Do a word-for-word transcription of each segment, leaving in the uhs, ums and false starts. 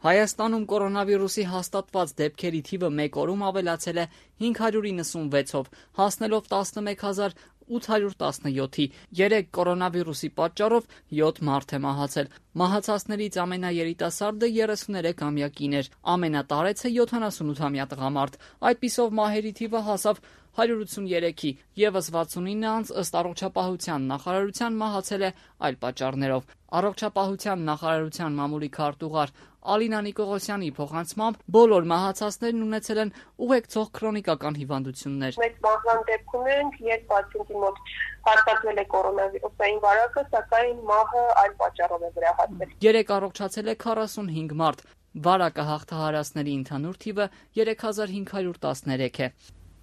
Հայաստանում կորոնավիրուսի հաստատված դեպքերի թիվը մեկ օրում ավելացել է հինգ հարյուր իննսունվեցով, հասնելով տասնմեկ հազար ութ հարյուր տասնյոթի։ Երեկ կորոնավիրուսի պատճառով յոթ մարդ է մահացել։ Մահացածներից ամենաերիտասարդը երեսուներեքամյա կին էր, ամենատարեցը յոթանասունութամյա տղամարդ։ Այդպիսով մահերի թիվը հասավ հարյուր ութսուներեքի, ևս վաթսունինը անձ ըստ առողջապահության նախարարության մահացել է այլ պատճառներով։ Առողջապահության նախարարության մամուլի քարտուղար Ալինա Նիկողոսյանի փոխանցմամբ բոլոր մահացածներն ունեցել են ուղեկցող քրոնիկական հիվանդություններ։ Մեծ մահվան դեպք ունենք, երբ պացիենտի մոտ հաստատվել է կորոնավիրուսային վարակը, սակայն մահը այլ պատճառով է վերահասվել։ Երեկ առողջացել է քառասունհինգ մարդ, վարակը հաղթահարածների ընդհանուր թիվը երեք հազար հինգ հարյուր տասներեք է։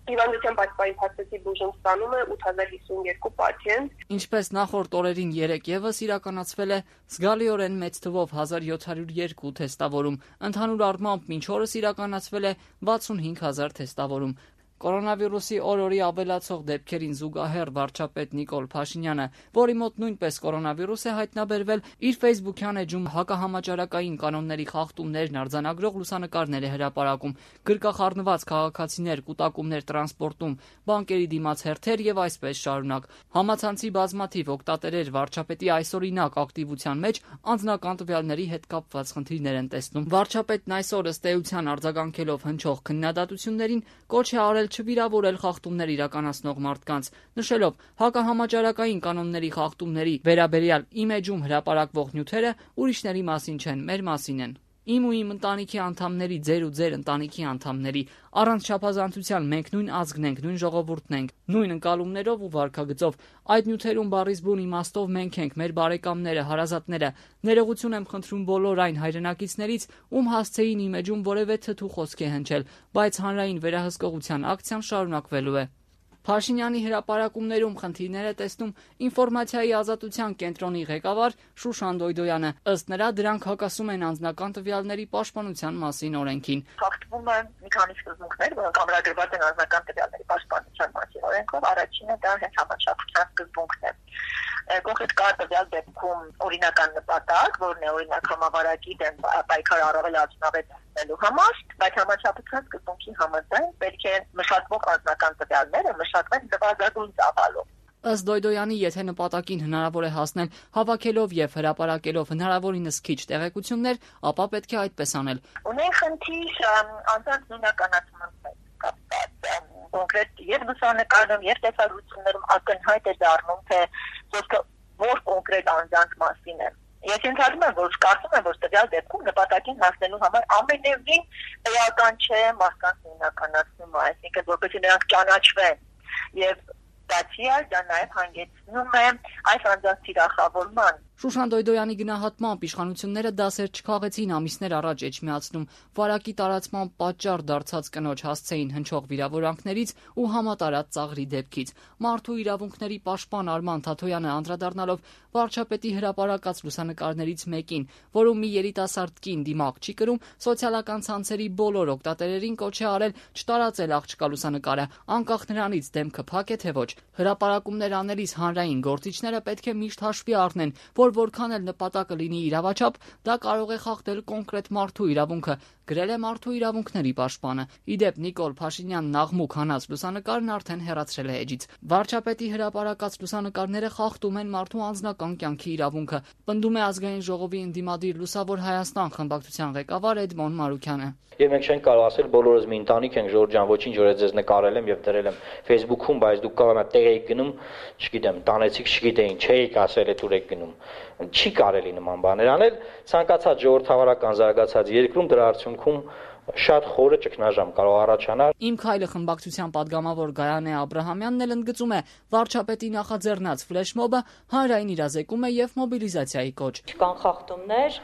Հիվանդության պատճառի փաստացի բուժում ստանում է ութ հազար հիսունյոթ պացիենտ։ Ինչպես նախորդ օրերին երեկ եւս իրականացվել է զգալիորեն մեծ թվով հազար յոթ հարյուր երկու թեստավորում։ Ընդհանուր առմամբ մինչ օրս իրականացվել է վաթսունհինգ հազար թեստավորում։ Կորոնավիրուսի օր-օրի ավելացող դեպքերին զուգահեռ վարչապետ Նիկոլ Փաշինյանը, որի մոտ նույնպես կորոնավիրուս է հայտնաբերվել, իր ֆեյսբուքյան էջում հակահամաճարակային կանոնների խախտումներն արձանագրող լուսանկարներ է հրապարակում, գրկախառնված քաղաքացիներ, կուտակումներ տրանսպորտում, բանկերի դիմաց հերթեր եւ այսպես շարունակ։ Համացանցի բազմաթիվ օգտատերեր վարչապետի այսօրինակ ակտիվության մեջ անձնական տվյալների հետ կապված խնդիրներ են տեսնում։ Վարչապետն այսօր ըստ էության արձագանքելով հնչող քննադատություններին կոչ է արել չվիրավորել խախտումներ իրականացնող մարդկանց, նշելով հակահամաճարակային կանոնների խախտումների վերաբերյալ իմ էջում հրապարակվող նյութերը ուրիշների մասին չեն, մեր մասին են։ Իմ ու իմ ընտանիքի անդամների, ձեր ու ձեր ընտանիքի անդամների, առանց չափազանցության մենք նույն ազգն ենք, նույն ժողովուրդն ենք, նույն ընկալումներով ու վարքագծով։ Այդ նյութերում բառից բուն իմաստով մենք ենք, մեր բարեկամները, հարազատները։ Ներողություն եմ խնդրում բոլոր այն հայրենակիցներից, ում հասցեին իմ էջում որևէ թթու խոսք է հնչել, բայց հանրային վերահսկողության ակցիան շարունակվելու է։ Փաշինյանի հրապարակումներում խնդիրներ է տեսնում ինֆորմացիայի ազատության կենտրոնի ղեկավար Շուշան Դոյդոյանը։ Ըստ նրա դրանք հակասում են անձնական տվյալների պաշտպանության մասին օրենքին։ Խախտվում են մի քանի սկզբունքներ, որոնք ամրագրված են անձնական տվյալների պաշտպանության մասին օրենքով։ Առաջինը դա հենց համաչափության սկզբունքն է։ Կոնկրետ կար տվյալ դեպքում օրինական նպատակ, որն է օրինակ համավարակի դեմ պայքար առավել արդյունավետ դարձնելու համար, բայց համաչափության սկզբունքի համաձայն պետք է մշակվող անձնական տվյալները մշակվեն նվազագույն ծավալով։ Ըստ Դոյդոյանի, եթե նպատակին հնարավոր է հասնել հավաքելով եւ հրապարակելով հնարավորինս քիչ տեղեկություններ, ապա պետք է այդպես անել։ Ունեն խնդիր անձանց նույնականացման հետ կապված։ Կոնկրետ եւ լուսանկարում եւ տեսագրություններում ակնհայտ է դառնում, թե խոսքը որ կոնկրետ անձանց մասին է։ Ես ենթադրում եմ, որ կարծում եմ, որ տվյալ դեպքում նպատակին հասնելու համար ամենևին էական չէ մարդկանց նույնականացումը, այսինքն որպեսզի նրանք ճանաչվեն եւ բացի այդ դա նաեւ հանգեցնում է այս անձանց թիրախավորման։ Շուշան Դոյդոյանի գնահատմամբ իշխանությունները դասեր չքաղեցին ամիսներ առաջ էջմիածնում վարակի տարածման պատճառ դարձած կնոջ հասցեին հնչող վիրավորանքներից ու համատարած ծաղրի դեպքից։ Մարդու իրավունքների պաշտպան Արման Թաթոյանը անդրադառնալով վարչապետի հրապարակած լուսանկարներից մեկին, որում մի երիտասարդ կին դիմակ չի կրում, սոցիալական ցանցերի բոլոր օգտատերերին կոչ է արել չտարածել աղջկա լուսանկարը, անկախ նրանից դեմքը փակ է թե ոչ։ Հրապարակումներ անելիս հանրային գործիչները պետք է միշտ հաշվի առնեն, որ որքան էլ նպատակը լինի իրավաչափ, դա կարող է խախտել կոնկրետ մարդու իրավունքը, գրել է մարդու իրավունքների պաշտպանը։ Իդեպ Նիկոլ Փաշինյանն աղմուկ հանած լուսանկարն արդեն հեռացրել է էջից։ Վարչապետի հրապարակած լուսանկարները խախտում են մարդու անձնական կյանքի իրավունքը, պնդում է Ազգային ժողովի ընդդիմադիր Լուսավոր Հայաստան խմբակցության ղեկավար Էդմոն Մարուքյանը։ Եվ մենք չենք կարող ասել բոլորս մի ընտանիք ենք, Ժորժ ջան, ոչինչ, որ ես նկարել եմ եւ դրել եմ Facebook-ում, բայց դուք կարող եք տեղ եք գնում, չգիտեմ, տանեցիք, չգիտեին, չէիք ասել, այդ ուր եք գնում։ Չի կարելի նման բաներ անել, ցանկացած ժողովրդավարական զարգացած երկրում դրա արդյունքում շատ խորը ճգնաժամ կարող առաջանալ։ Իմ քայլը խմբակցության падգամավոր Գայանե Աբրահամյանն էլ ընդգծում է վարչապետի նախաձեռնած ֆլեշմոբը հանրային իրազեկում է եւ մոբիլիզացիայի կոչ։ Չկան խախտումներ,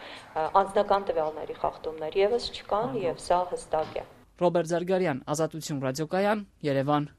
անձնական տվյալների խախտումներ եւս չկան եւ սա հստակ է։ Ռոբերտ Զարգարյան, Ազատություն ռադիոկայան, Երևան։